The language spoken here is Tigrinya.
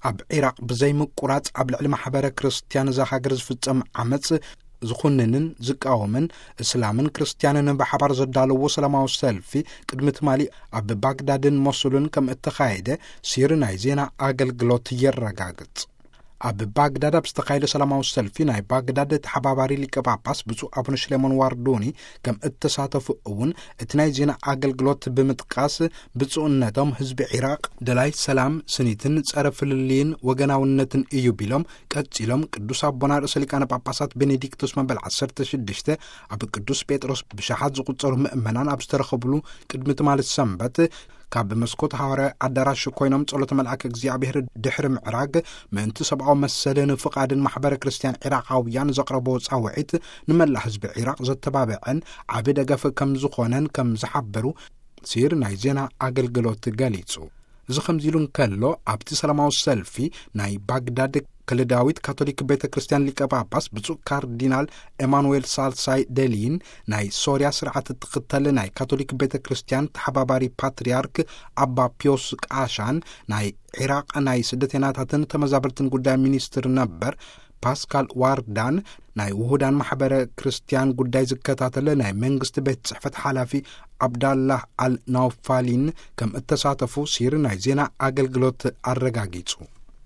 ኣብ ዒራቕ ብዘይምቁራጽ ኣብ ልዕሊ ማሕበረ ክርስትያን እዛ ሃገር ዝፍጸም ዓመጽ ዝኹንንን ዝቃወምን፣ እስላምን ክርስትያንን ብሓባር ዘዳለዎ ሰላማዊ ሰልፊ ቅድሚ ትማሊ ኣብ ባግዳድን ሞሱልን ከም እተኻየደ ሲር ናይ ዜና ኣገልግሎት የረጋግጽ። ኣብ ባግዳድ ኣብ ዝተኻየደ ሰላማዊ ሰልፊ ናይ ባግዳድ ተሓባባሪ ሊቀ ጳጳስ ብፁዕ ኣቡነ ሽሌሞን ዋርዶኒ ከም እተሳተፉ እውን እቲ ናይ ዜና ኣገልግሎት ብምጥቃስ፣ ብፁዕነቶም ህዝቢ ዒራቕ ደላይ ሰላም ስኒትን ጸረ ፍልልይን ወገናውነትን እዩ ቢሎም፣ ቀጺሎም ቅዱስ ኣቦና ርእሰ ሊቃነ ጳጳሳት ቤኔዲክቶስ መበል ዓሰርተ ሽዱሽተ ኣብ ቅዱስ ጴጥሮስ ብሽሓት ዝቑጸሩ ምእመናን ኣብ ዝተረኸብሉ ቅድሚ ትማሊ ሰንበት ካብ መስኮት ሃዋርያዊ ኣዳራሽ ኮይኖም ጸሎተ መልኣከ እግዚኣብሔር ድሕሪ ምዕራግ፣ ምእንቲ ሰብኣዊ መሰልን ፍቓድን ማሕበረ ክርስትያን ዒራቓውያን ዘቕረቦ ጻውዒት ንመላእ ህዝቢ ዒራቕ ዘተባብዐን ዓቢ ደገፍ ከም ዝኾነን ከም ዝሓበሩ ሲር ናይ ዜና ኣገልግሎት ገሊጹ። እዚ ከምዚ ኢሉ እንከሎ፣ ኣብቲ ሰላማዊ ሰልፊ ናይ ባግዳድ ከለዳዊት ካቶሊክ ቤተ ክርስትያን ሊቀ ጳጳስ ብፁዕ ካርዲናል ኤማኑኤል ሳልሳይ ደሊን፣ ናይ ሶርያ ስርዓት እትኽተል ናይ ካቶሊክ ቤተ ክርስትያን ተሓባባሪ ፓትርያርክ ኣባ ፒዮስ ቃሻን፣ ናይ ዒራቕ ናይ ስደተኛታትን ተመዛበልትን ጉዳይ ሚኒስትር ነበር ፓስካል ዋርዳን፣ ናይ ውሁዳን ማሕበረ ክርስትያን ጉዳይ ዝከታተል ናይ መንግስቲ ቤት ጽሕፈት ሓላፊ ዓብዳላህ ኣል ናውፋሊን ከም እተሳተፉ ሲር ናይ ዜና ኣገልግሎት ኣረጋጊጹ።